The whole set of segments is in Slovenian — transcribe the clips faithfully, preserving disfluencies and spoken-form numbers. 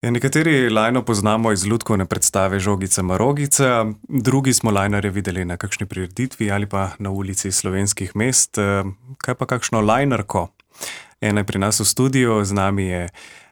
Ja, nekateri lajno poznamo iz lutkovne predstave Žogica marogica, drugi smo lajnarje videli na kakšni prireditvi ali pa na ulici slovenskih mest. Eh, Kaj pa kakšno lajnarko? Ena je pri nas v studiu, z nami je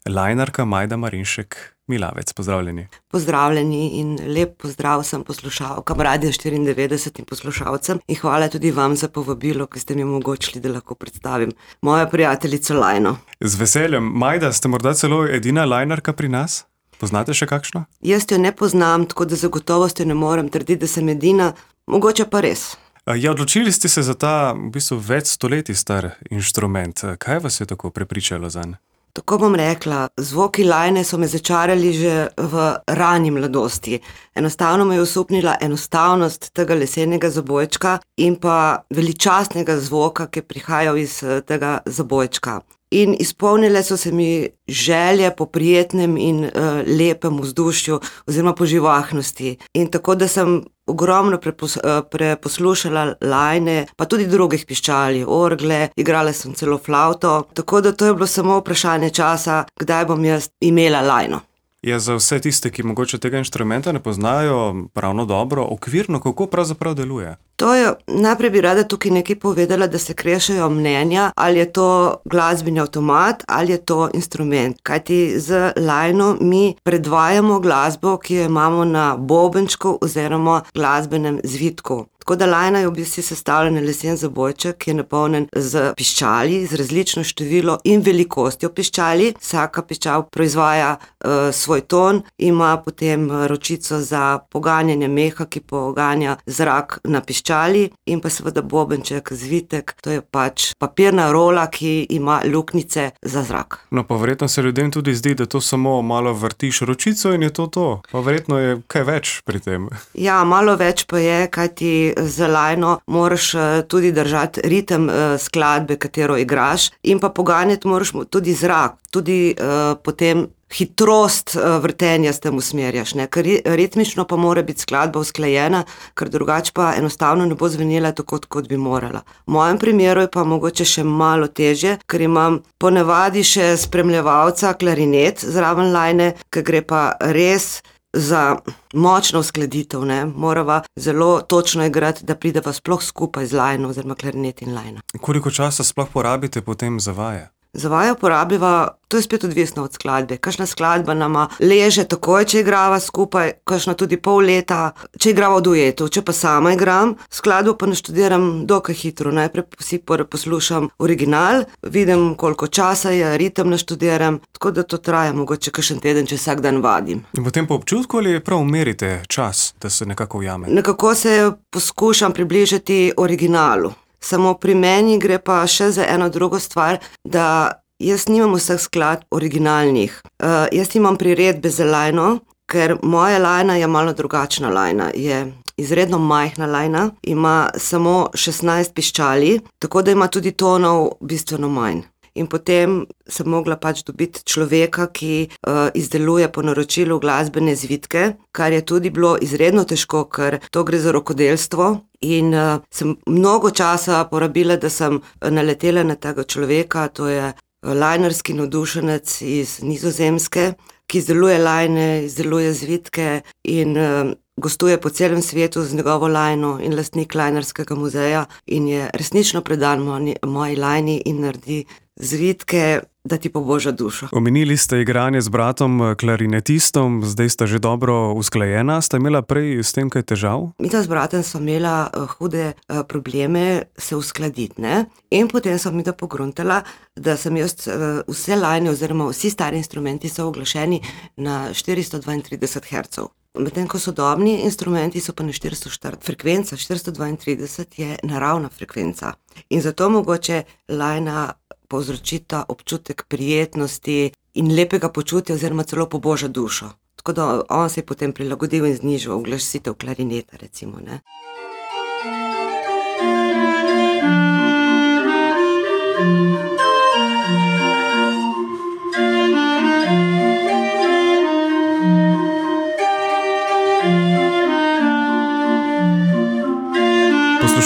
lajnarka Majda Marinšek Milavec. Pozdravljeni. Pozdravljeni in lep pozdrav vsem poslušalkam Radia štiriindevetdeset in poslušalcem in hvala tudi vam za povabilo, ki ste mi omogočili, da lahko predstavim mojo prijateljico Lajno. Z veseljem. Majda, ste morda celo edina lajnarka pri nas? Poznate še kakšno? Jaz jo ne poznam, tako da zagotovosti ne morem trditi, da sem edina, mogoče pa res. Ja, odločili ste se za ta v bistvu več stoletij star inštrument. Kaj vas je tako prepričalo zanj? Tako bom rekla, zvoki lajne so me začarali že v rani mladosti. Enostavno me je osupnila enostavnost tega lesenega zabojčka in pa veličastnega zvoka, ki je prihajal iz tega zabojčka. In izpolnile so se mi želje po prijetnem in uh, lepem vzdušju oziroma po živahnosti. In tako, da sem ogromno prepos, uh, preposlušala lajne, pa tudi drugih piščali, orgle, igrala sem celo flavto, tako da to je bilo samo vprašanje časa, kdaj bom jaz imela lajno. Ja, za vse tiste, ki mogoče tega inštrumenta ne poznajo pravno dobro, okvirno, kako pravzaprav deluje? To je, najprej bi rada tukaj nekaj povedala, da se krešajo mnenja, ali je to glasbeni avtomat ali je to instrument. Kajti z lajno mi predvajamo glasbo, ki jo imamo na bobenčku oziroma glasbenem zvitku. Tako da lajna je v bistvu sestavljen lesen zabojček, ki je napolnjen z piščali, z različno število in velikostjo piščali. Vsaka piščal proizvaja uh, svoj ton, ima potem ročico za poganjanje meha, ki poganja zrak na piščali, in pa seveda bobenček, zvitek, to je pač papirna rola, ki ima luknjice za zrak. No, pa verjetno se ljudem tudi zdi, da to samo malo vrtiš ročico in je to to. Pa verjetno je kaj več pri tem. Ja, malo več pa je, kajti z lajno moraš tudi držati ritem skladbe, katero igraš, in pa poganjati moraš tudi zrak, tudi uh, potem hitrost uh, vrtenja s tem usmerjaš, ne? Ker ritmično pa mora biti skladba usklajena, ker drugače pa enostavno ne bo zvenela tako, kot bi morala. V mojem primeru je pa mogoče še malo težje, ker imam ponavadi še spremljevalca klarinet zraven lajne, ker gre pa res za močno uskladitev, ne, morava zelo točno igrati, da prideva sploh skupaj z lajno oziroma klarinet in lajna. Koliko časa sploh porabite potem za vaje? Za vaje uporabljiva, to je spet odvisno od skladbe. Kakšna skladba nama leže takoj, če igrava skupaj, kakšna tudi pol leta, če igrava v duetu. Če pa sama igram, skladbo pa naštudiram dokaj hitro. Najprej si poslušam original, vidim, koliko časa je, ritem naštudiram, tako da to traja mogoče kakšen teden, če vsak dan vadim. In potem po občutku ali prav merite čas, da se nekako ujame? Nekako se poskušam približati originalu. Samo pri meni gre pa še za eno drugo stvar, da jaz nimam vseh skladb originalnih. Uh, jaz imam priredbe za lajno, ker moja lajna je malo drugačna lajna. Je izredno majhna lajna, ima samo šestnajst piščali, tako da ima tudi tonov bistveno manj. In potem sem mogla pač dobiti človeka, ki uh, izdeluje po naročilu glasbene zvitke, kar je tudi bilo izredno težko, ker to gre za rokodelstvo. In uh, sem mnogo časa porabila, da sem naletela na tega človeka, to je lajnarski navdušenec iz Nizozemske, ki izdeluje lajne, izdeluje zvitke in uh, gostuje po celem svetu z njegovo lajno in lastnik lajnarskega muzeja in je resnično predan moji lajni in naredi zvitke, da ti poboža dušo. Omenili ste igranje z bratom klarinetistom, zdaj sta že dobro usklajena. Sta imela prej s tem kaj težav? Mi z bratom smo imela uh, hude uh, probleme se uskladiti, ne? In potem sem mi da pogruntala, da sem jaz uh, vse lajne oziroma vsi stari instrumenti so uglašeni na štiristo dvaintrideset hercov. Medtem ko sodobni instrumenti so pa na štiristo štirideset. Frekvenca štiristo dvaintrideset je naravna frekvenca. In zato mogoče lajna povzročita občutek prijetnosti in lepega počutja oziroma celo poboža dušo. Tako da on se je potem prilagodil in znižal uglasitev klarineta, recimo, ne.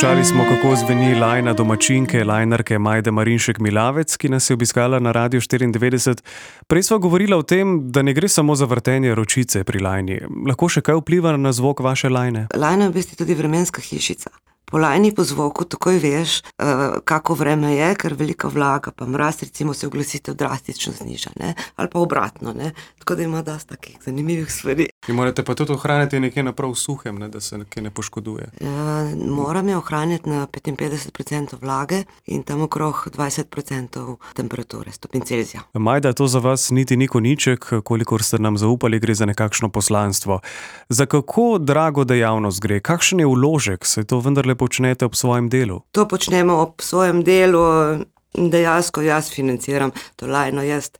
Poslušali smo, kako zveni lajna domačinke, lajnarke Majde Marinšek Milavec, ki nas je obiskala na Radiu štiriindevetdeset. Prej sva govorila o tem, da ne gre samo za vrtenje ročice pri lajni. Lahko še kaj vpliva na zvok vaše lajne? Lajna je v bistvu tudi vremenska hišica. Po lajni, po zvoku takoj veš, kako vreme je, ker velika vlaga, pa mraz, recimo se oglasitev drastično zniža, ne? Ali pa obratno, ne? Tako da ima dosti takih zanimivih stvari. In morate pa tudi ohraniti nekje na prav suhem, ne? Da se nekje ne poškoduje. Ja, moram je ohraniti na petinpetdeset procentov vlage in tam okrog dvajset procentov temperature, stopinj Celzija. Majda, to za vas niti ni koniček, kolikor ste nam zaupali, gre za nekakšno poslanstvo. Za kako drago dejavnost gre? Kakšen je vložek? Se to vendarle počnete ob svojem delu? To počnemo ob svojem delu, dejansko jaz financiram to lajno, jaz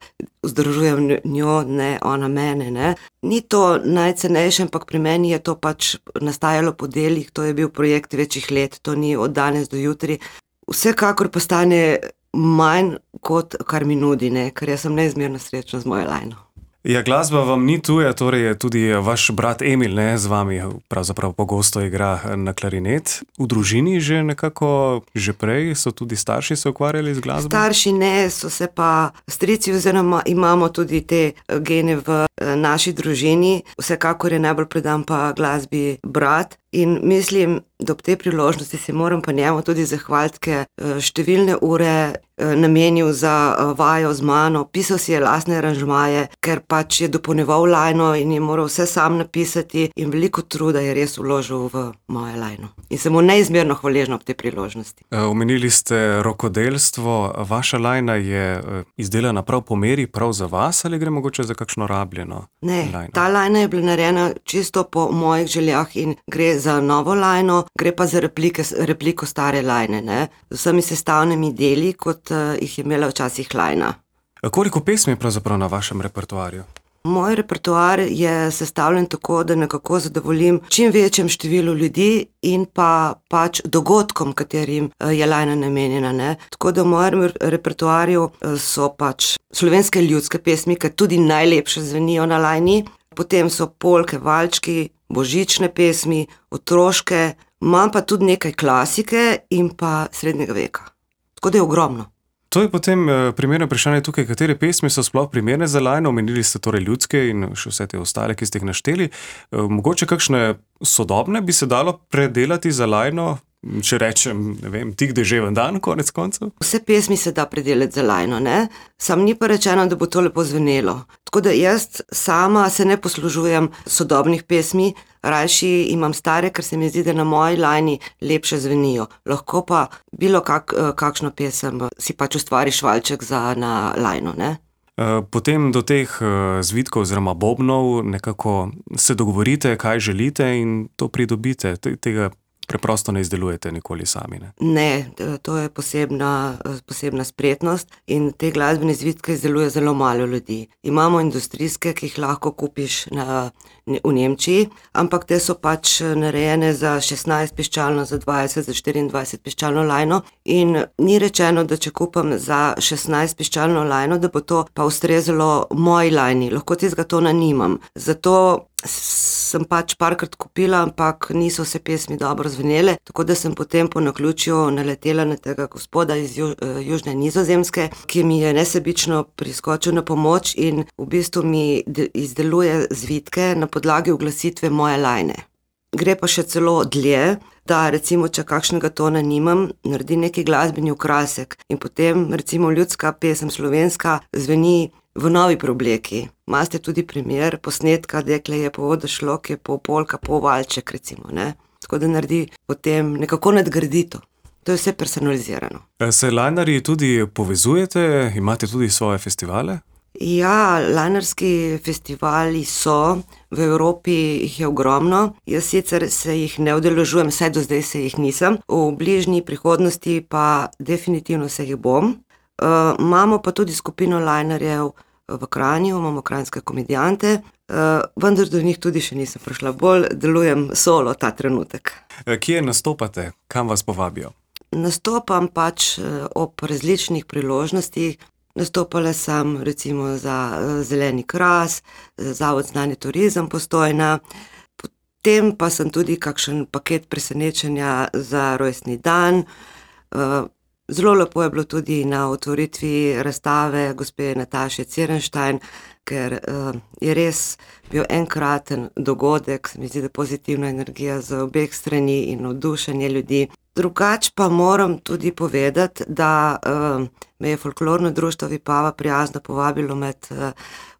vzdržujem njo, ne ona mene, ne. Ni to najcenejše, ampak pri meni je to pač nastajalo po delih, to je bil projekt večjih let, to ni od danes do jutri. Vsekakor pa stane manj, kot kar mi nudi, ne, ker jaz sem neizmerno srečna z mojo lajno. Ja, glasba vam ni tuja, torej je tudi vaš brat Emil, ne, z vami pravzaprav pogosto igra na klarinet. V družini že nekako, že prej so tudi starši se ukvarjali z glasbo? Starši ne, so se pa strici, oziroma imamo tudi te gene v naši družini. Vsekakor je najbolj predan pa glasbi brat. In mislim, da ob tej priložnosti se moram pa njemu tudi zahvaliti, ker številne ure namenil za vajo z mano, pisal si je lastne aranžmaje, ker pač je dopolnjeval lajno in je moral vse sam napisati in veliko truda je res vložil v moje lajno. In sem mu neizmerno hvaležna ob tej priložnosti. Omenili ste rokodelstvo, vaša lajna je izdelana prav po meri, prav za vas, ali gre mogoče za kakšno rabljeno ne, lajno? Ne, ta lajna je bila narejena čisto po mojih željah in gre za novo lajno, gre pa za replike, repliko stare lajne, ne, z vsemi sestavnimi deli, kot uh, jih je imela včasih lajna. Koliko pesmi je pravzaprav na vašem repertoarju? Moj repertoar je sestavljen tako, da nekako zadovoljim čim večjem številu ljudi in pa pač dogodkom, katerim je lajna namenjena, ne. Tako da v mojem repertoarju so pač slovenske ljudske pesmi, ki tudi najlepše zvenijo na lajni, potem so polke, valčki, božične pesmi, otroške, imam pa tudi nekaj klasike in pa srednjega veka. Tako da je ogromno. To je potem primerno vprašanje tukaj, katere pesmi so sploh primerne za lajno, omenili ste torej ljudske in še vse te ostale, ki ste jih našteli. Mogoče kakšne sodobne bi se dalo predelati za lajno, če rečem, ne vem, tik deževen dan, konec koncev? Vse pesmi se da predelati za lajno, ne? Sam ni pa rečeno, da bo to lepo zvenelo. Tako da jaz sama se ne poslužujem sodobnih pesmi, rajši imam stare, ker se mi zdi, da na moji lajni lepše zvenijo. Lahko pa bilo kak, kakšno pesem si pač ustvariš valček za na lajno, ne? Potem do teh zvitkov oziroma bobnov nekako se dogovorite, kaj želite in to pridobite. Tega preprosto ne izdelujete nikoli sami, ne? Ne, to je posebna, posebna spretnost in te glasbene zvitke izdeluje zelo malo ljudi. Imamo industrijske, ki jih lahko kupiš na, v Nemčiji, ampak te so pač narejene za šestnajst piščalno, za dvajset, za štiriindvajset piščalno lajno in ni rečeno, da če kupam za šestnajst piščalno lajno, da bo to pa ustrezalo moji lajni. Lahko tistega tona nimam. Zato sem pač parkrat kupila, ampak niso vse pesmi dobro zvenele, tako da sem potem po naključju naletela na tega gospoda iz Ju, Južne Nizozemske, ki mi je nesebično priskočil na pomoč in v bistvu mi izdeluje zvitke na podlagi uglasitve moje lajne. Gre pa še celo dlje, da recimo, če kakšnega tona nimam, naredi neki glasbeni okrasek in potem recimo ljudska pesem slovenska zveni v novi preobleki. Imate tudi primer posnetka, dekle je po vodo šlo, ki je pol polka, pol valček recimo, ne. Tako da naredi potem nekako nadgradito. To je vse personalizirano. Se lajnarji tudi povezujete? Imate tudi svoje festivale? Ja, lajnarski festivali so, v Evropi jih je ogromno. Jaz sicer se jih ne udeležujem, saj do zdaj se jih nisem. V bližnji prihodnosti pa definitivno se jih bom. Uh, imamo pa tudi skupino lajnarjev v Kranju, imamo kranjske komedijante, uh, vendar do njih tudi še nisem prišla. Bolj delujem solo ta trenutek. Kje nastopate? Kam vas povabijo? Nastopam pač ob različnih priložnostih. Nastopala sem recimo za Zeleni kras, Zavod Znanje turizem Postojna, tem pa sem tudi kakšen paket presenečenja za rojstni dan. Zelo lepo je bilo tudi na otvoritvi razstave gospe Nataše Cirenštajn, ker je res bil enkraten dogodek, se mi zdi, da pozitivna energija z obeh strani in navdušenje ljudi. Drugače pa moram tudi povedati, da uh, me je folklorno društvo Vipava prijazno povabilo med, uh,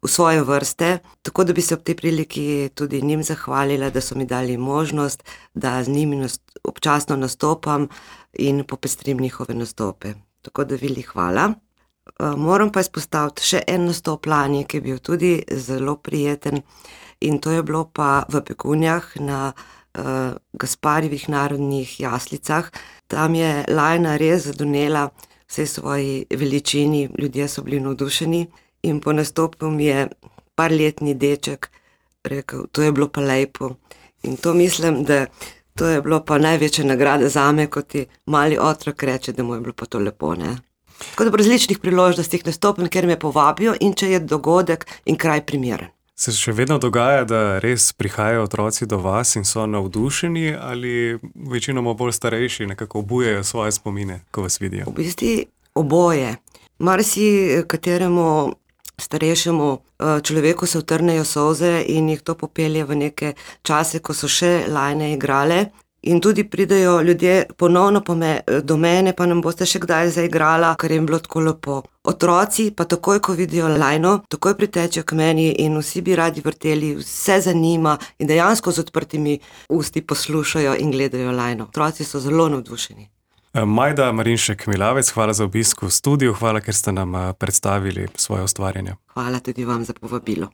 v svoje vrste, tako da bi se ob tej priliki tudi njim zahvalila, da so mi dali možnost, da z njimi nast- občasno nastopam in popestrim njihove nastope. Tako da vili hvala. Uh, moram pa izpostaviti še en nastop lani, ki je bil tudi zelo prijeten, in to je bilo pa v Begunjah na Uh, Gasparjevih narodnih jaslicah. Tam je Lajna res zadonela vsej svoji veličini, ljudje so bili navdušeni in po nastopu mi je parletni deček rekel, to je bilo pa lepo. In to mislim, da to je bilo pa največja nagrada zame, ko ti mali otrok reče, da mu je bilo pa to lepo, ne. Tako da po različnih priložnostih nastopim, ker me povabijo in če je dogodek in kraj primeren. Se še vedno dogaja, da res prihajajo otroci do vas in so navdušeni ali večinoma bolj starejši nekako obujajo svoje spomine, ko vas vidijo? V bistvu oboje. Marsi kateremu starejšemu človeku se utrnejo solze in jih to popelje v neke čase, ko so še Lajne igrale. In tudi pridejo ljudje ponovno po me, do mene, pa nam boste še kdaj zaigrala, ker jim bilo tako lepo. Otroci pa takoj, ko vidijo Lajno, takoj pritečejo k meni in vsi bi radi vrteli, vse zanima in dejansko z odprtimi usti poslušajo in gledajo Lajno. Otroci so zelo navdušeni. Majda Marinšek-Milavec, hvala za obisk v studiu, hvala, ker ste nam predstavili svoje ustvarjanje. Hvala tudi vam za povabilo.